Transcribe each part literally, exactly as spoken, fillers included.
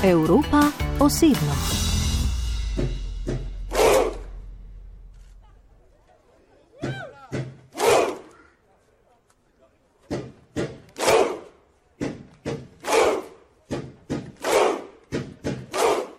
Evropa osebno.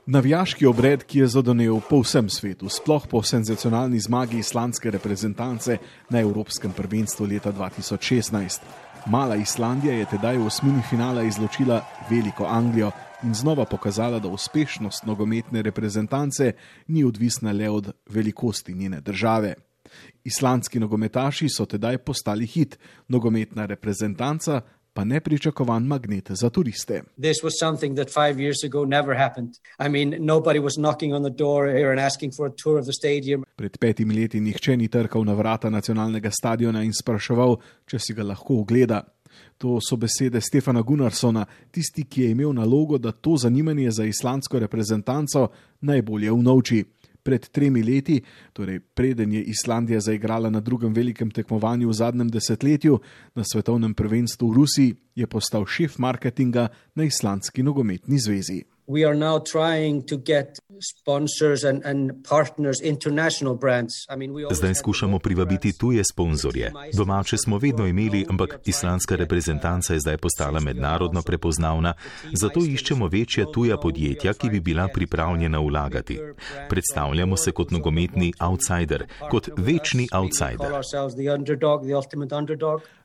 Navijaški obred, ki je zadonel po vsem svetu, sploh po senzacionalni zmagi islandske reprezentance na Evropskem prvenstvu leta dva tisoč šestnajst. Mala Islandija je tedaj v osmini finala izločila veliko Anglijo in znova pokazala, da uspešnost nogometne reprezentance ni odvisna le od velikosti njene države. Islandski nogometaši so tedaj postali hit, nogometna reprezentanca pa nepričakovan magnet za turiste. This was something that five years ago never happened. I mean, nobody was knocking on the door here and asking for a tour of the stadium. Pred petimi leti nihče ni trkal na vrata nacionalnega stadiona in spraševal, če si ga lahko ogleda. To so besede Stefana Gunnarssona, tisti, ki je imel nalogo, da to zanimanje za islandsko reprezentanco najbolje unovči. Pred tremi leti, torej preden je Islandija zaigrala na drugem velikem tekmovanju v zadnjem desetletju, na svetovnem prvenstvu v Rusiji, je postal šef marketinga na Islandski nogometni zvezi. We are now trying to get sponsors and, and partners, international brands. I mean, we Zdaj skušamo privabiti tuje sponzorje. Domače smo vedno imeli, ampak islandska reprezentanca je zdaj postala mednarodno prepoznavna, zato iščemo večja tuja podjetja, ki bi bila pripravljena vlagati. Predstavljamo se kot nogometni outsider, kot večni outsider.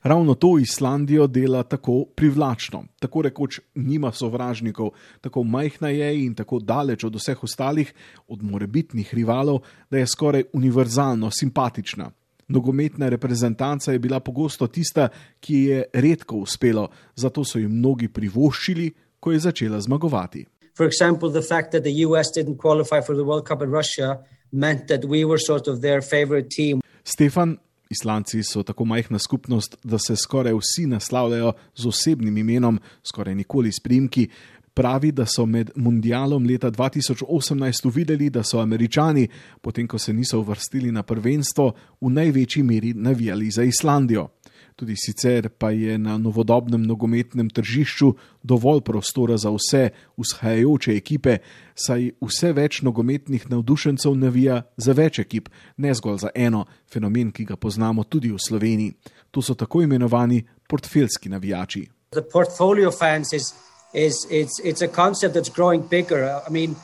Ravno to Islandijo dela tako privlačno, tako rekoč nima sovražnikov, tako majhna je in tako daleč od vseh ostalih, od morebitnih rivalov, da je skoraj univerzalno simpatična. Nogometna reprezentanca je bila pogosto tista, ki je redko uspelo, zato so jim mnogi privoščili, ko je začela zmagovati. For example, the fact that the U S didn't qualify for the World Cup in Russia meant that we were sort of their favorite team. Stefan, Islandci so tako majhna skupnost, da se skoraj vsi naslavljajo z osebnim imenom, skoraj nikoli s priimki. Pravi, da so med mundialom leta dva tisoč osemnajst uvideli, da so Američani, potem ko se niso uvrstili na prvenstvo, v največji meri navijali za Islandijo. Tudi sicer pa je na novodobnem nogometnem tržišču dovolj prostora za vse vzhajajoče ekipe, saj vse več nogometnih navdušencev navija za več ekip, ne zgolj za eno, fenomen, ki ga poznamo tudi v Sloveniji. To so tako imenovani portfeljski navijači. The portfolio fans is is it's it's a concept that's growing bigger. I mean,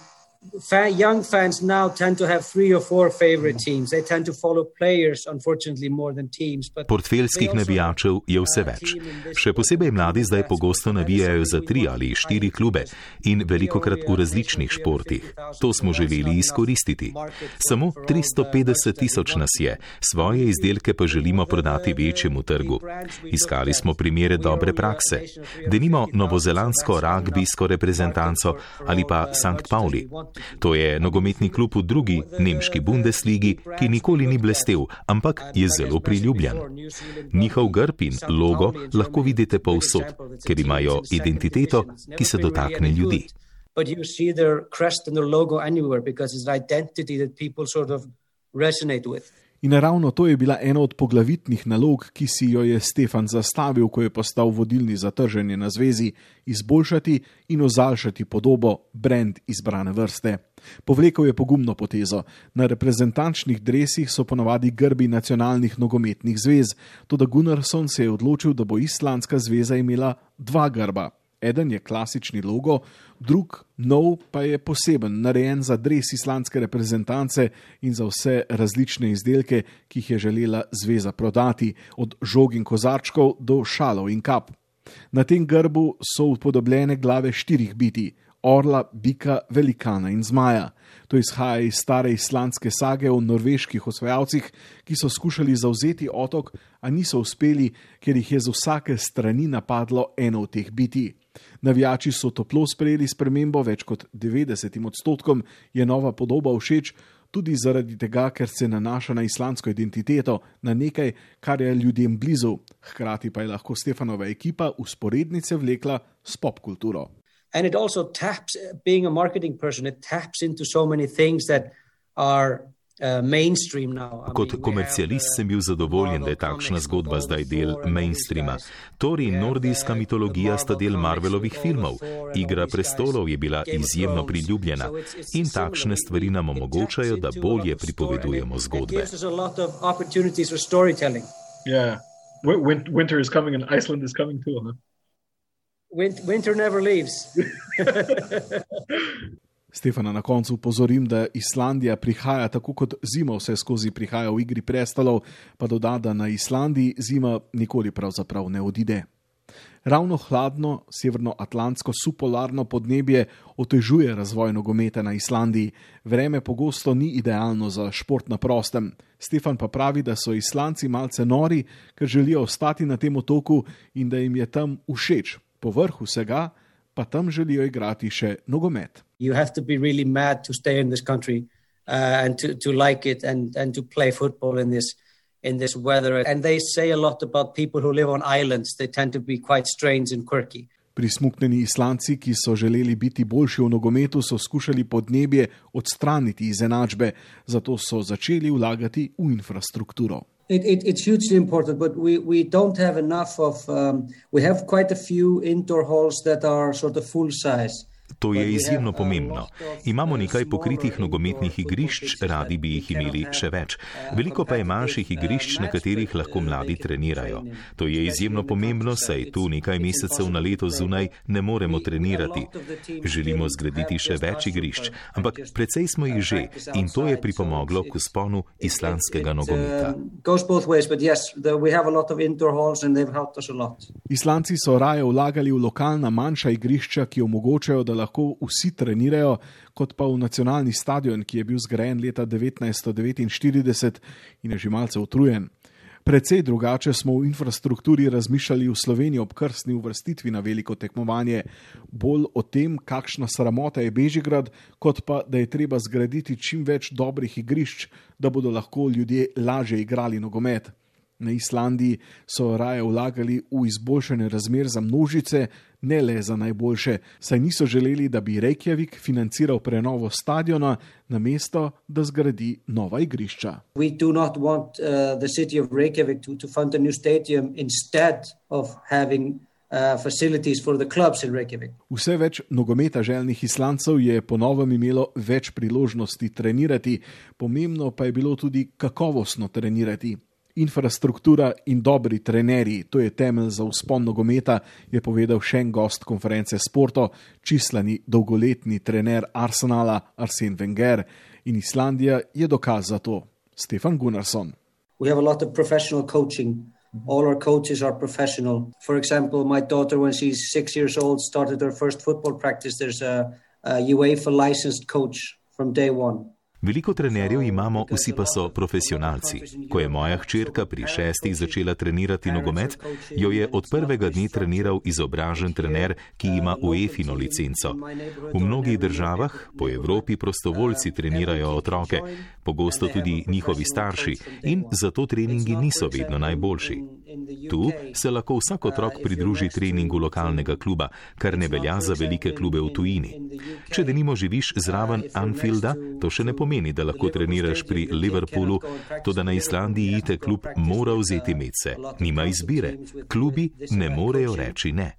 fan, young fans now tend to have three or four favorite teams. They tend to follow players, unfortunately, more than teams. But portfeljskih navijačev je vse več. Še posebej mladi zdaj pogosto navijajo za tri ali štiri klube in velikokrat v različnih športih. To smo želeli izkoristiti. Samo tristo petdeset tisoč nas je, svoje izdelke pa želimo prodati večjemu trgu. Iskali smo primere dobre prakse. Denimo novozelandsko ragbijsko reprezentanco ali pa Sankt Pauli. To je nogometni klub v drugi nemški Bundesligi, ki nikoli ni blestel, ampak je zelo priljubljen. Njihov grb in logo lahko vidite povsod, ker imajo identiteto, ki se dotakne ljudi. But you see their crest and their logo anywhere because it's an identity that people sort of resonate with. In ravno to je bila ena od poglavitnih nalog, ki si jo je Stefan zastavil, ko je postal vodilni za trženje na zvezi, izboljšati in ozaljšati podobo, brand izbrane vrste. Povlekel je pogumno potezo. Na reprezentančnih dresih so ponavadi grbi nacionalnih nogometnih zvez, toda Gunnarsson se je odločil, da bo islandska zveza imela dva grba. Eden je klasični logo, drug, nov, pa je poseben, narejen za dres islandske reprezentance in za vse različne izdelke, ki jih je želela zveza prodati, od žog in kozarčkov do šalov in kap. Na tem grbu so upodobljene glave štirih bitij, orla, bika, velikana in zmaja. To izhaja iz stare islandske sage o norveških osvajalcih, ki so skušali zavzeti otok, a niso uspeli, ker jih je z vsake strani napadlo eno od teh bitij. Navijači so toplo sprejeli spremembo, več kot devetdesetim odstotkom je nova podoba všeč, tudi zaradi tega, ker se nanaša na islandsko identiteto, na nekaj, kar je ljudem blizu. Hkrati pa je lahko Stefanova ekipa usporednice vlekla s popkulturo. And it also taps, being a marketing person, it taps into so many things that are Kot komercialist sem bil zadovoljen, da je takšna zgodba zdaj del mainstreama. Thor in nordijska mitologija sta del Marvelovih filmov. Igra prestolov je bila izjemno priljubljena in takšne stvari nam omogočajo, da bolje pripovedujemo zgodbe. Yeah. Winter is coming and Iceland is coming too, huh? Winter never leaves. Stefana na koncu upozorim, da Islandija prihaja tako kot zima vse skozi prihaja v Igri prestolov, pa doda, da na Islandiji zima nikoli pravzaprav ne odide. Ravno hladno severnoatlantsko subpolarno podnebje otežuje razvoj nogometa na Islandiji. Vreme pogosto ni idealno za šport na prostem. Stefan pa pravi, da so Islandci malce nori, ker želijo ostati na tem otoku in da jim je tam všeč. Povrh vsega pa tam želijo igrati še nogomet. You have to be really mad to stay in this country uh, and to, to like it and, and to play football in this in this weather. And they say a lot about people who live on islands. They tend to be quite strange and quirky. Prismuknjeni Islandci, ki so želeli biti boljši v nogometu, so skušali podnebje odstraniti iz enačbe, zato so začeli vlagati v infrastrukturo. It, it, it's hugely important, but we, we don't have enough of, um, we have quite a few indoor halls that are sort of full size. To je izjemno pomembno. Imamo nekaj pokritih nogometnih igrišč, radi bi jih imeli še več. Veliko pa je manjših igrišč, na katerih lahko mladi trenirajo. To je izjemno pomembno, saj tu nekaj mesecev na leto zunaj ne moremo trenirati. Želimo zgraditi še več igrišč, ampak precej smo jih že in to je pripomoglo k vzponu islandskega nogometa. Islandci so raje vlagali v lokalna manjša igrišča, ki omogočajo, da lahko vsi trenirajo, kot pa v nacionalni stadion, ki je bil zgrajen leta devetnajststo devetinštirideset in je že malce utrujen. Precej drugače smo v infrastrukturi razmišljali v Sloveniji ob krstni uvrstitvi na veliko tekmovanje. Bolj o tem, kakšna sramota je Bežigrad, kot pa, da je treba zgraditi čim več dobrih igrišč, da bodo lahko ljudje lažje igrali nogomet. Na Islandiji so raje vlagali v izboljšanje razmer za množice, ne le za najboljše, saj niso želeli, da bi Reykjavik financiral prenovo stadiona, namesto da zgradi nova igrišča. We do not want uh, the city of Reykjavik to, to fund a new stadium instead of having uh, facilities for the clubs in Reykjavik. Vse več nogometa željnih Islandcev je po novem imelo več priložnosti trenirati, pomembno pa je bilo tudi kakovostno trenirati. Infrastruktura in dobri trenerji, to je temelj za vzpon nogometa, je povedal še en gost konference Sporto, čislani dolgoletni trener Arsenala Arsene Wenger. In Islandija je dokaz za to. Stefan Gunnarsson. We have a lot of professional coaching. All our coaches are professional. For example, my daughter, when she's six years old, started her first football practice. There's a, a UEFA licensed coach from day one. Veliko trenerjev imamo, vsi pa so profesionalci. Ko je moja hčerka pri šestih začela trenirati nogomet, jo je od prvega dne treniral izobražen trener, ki ima UEFIno licenco. V mnogih državah po Evropi prostovoljci trenirajo otroke, pogosto tudi njihovi starši, in zato treningi niso vedno najboljši. Tu se lahko vsak otrok pridruži treningu lokalnega kluba, kar ne velja za velike klube v tujini. Če denimo živiš zraven Anfielda, to še ne pomeni, da lahko treniraš pri Liverpoolu, toda na Islandiji te klub mora vzeti medse. Nima izbire. Klubi ne morejo reči ne.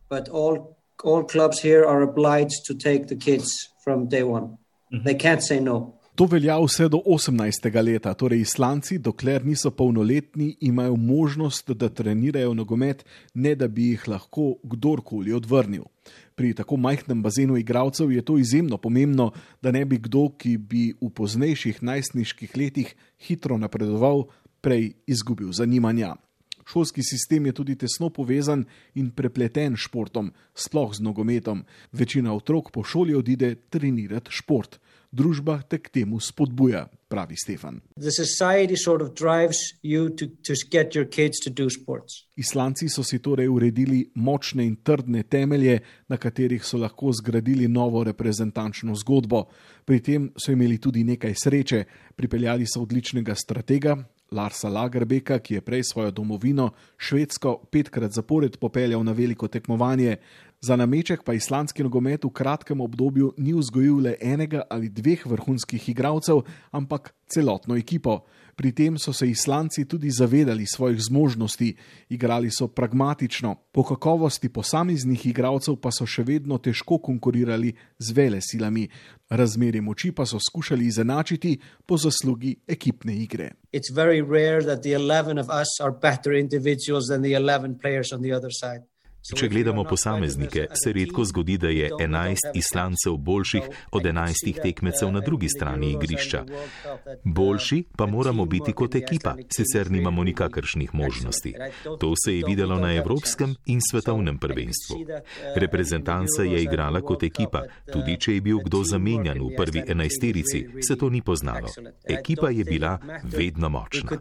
To velja vse do osemnajstega leta, torej Islandci, dokler niso polnoletni, imajo možnost, da trenirajo nogomet, ne da bi jih lahko kdorkoli odvrnil. Pri tako majhnem bazenu igralcev je to izjemno pomembno, da ne bi kdo, ki bi v poznejših najstniških letih hitro napredoval, prej izgubil zanimanja. Šolski sistem je tudi tesno povezan in prepleten s športom, sploh z nogometom. Večina otrok po šoli odide trenirati šport. Družba te k temu spodbuja, pravi Stefan. The society sort of drives you to, to get your kids to do sports. Islandci so si torej uredili močne in trdne temelje, na katerih so lahko zgradili novo reprezentančno zgodbo. Pri tem so imeli tudi nekaj sreče. Pripeljali so odličnega stratega, Larsa Lagerbäcka, ki je prej svojo domovino Švedsko petkrat zapored popeljal na veliko tekmovanje. Za nameček pa islandski nogomet v kratkem obdobju ni vzgojil le enega ali dveh vrhunskih igralcev, ampak celotno ekipo. Pri tem so se Islandci tudi zavedali svojih zmožnosti, igrali so pragmatično, po kakovosti posameznih igralcev pa so še vedno težko konkurirali z velesilami. Razmerje moči pa so skušali izenačiti po zaslugi ekipne igre. It's very rare that the eleven of us are better individuals than the eleven players on the other side. Če gledamo posameznike, se redko zgodi, da je enajst Islandcev boljših od enajstih tekmecev na drugi strani igrišča. Boljši pa moramo biti kot ekipa, sicer nimamo nikakršnih možnosti. To se je videlo na evropskem in svetovnem prvenstvu. Reprezentanca je igrala kot ekipa, tudi če je bil kdo zamenjan v prvi enajsterici, se to ni poznalo. Ekipa je bila vedno močna.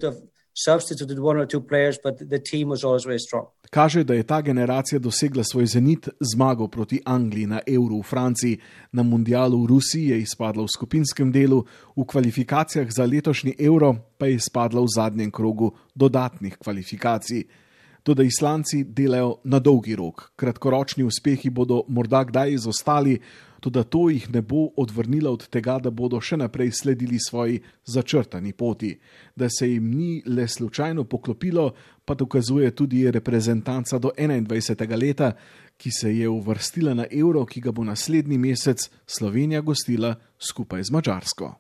Substituted one or two players, but the team was always very strong. Kaže, da je ta generacija dosegla svoj zenit zmago proti Angliji na Euru v Franciji, na mundialu v Rusiji je izpadla v skupinskem delu, v kvalifikacijah za letošnji Euro pa je izpadla v zadnjem krogu dodatnih kvalifikacij. Toda Islandci delajo na dolgi rok. Kratkoročni uspehi bodo morda kdaj izostali, toda to jih ne bo odvrnilo od tega, da bodo še naprej sledili svoji začrtani poti. Da se jim ni le slučajno poklopilo, pa dokazuje tudi reprezentanca do enaindvajsetega leta, ki se je uvrstila na Euro, ki ga bo naslednji mesec Slovenija gostila skupaj z Madžarsko.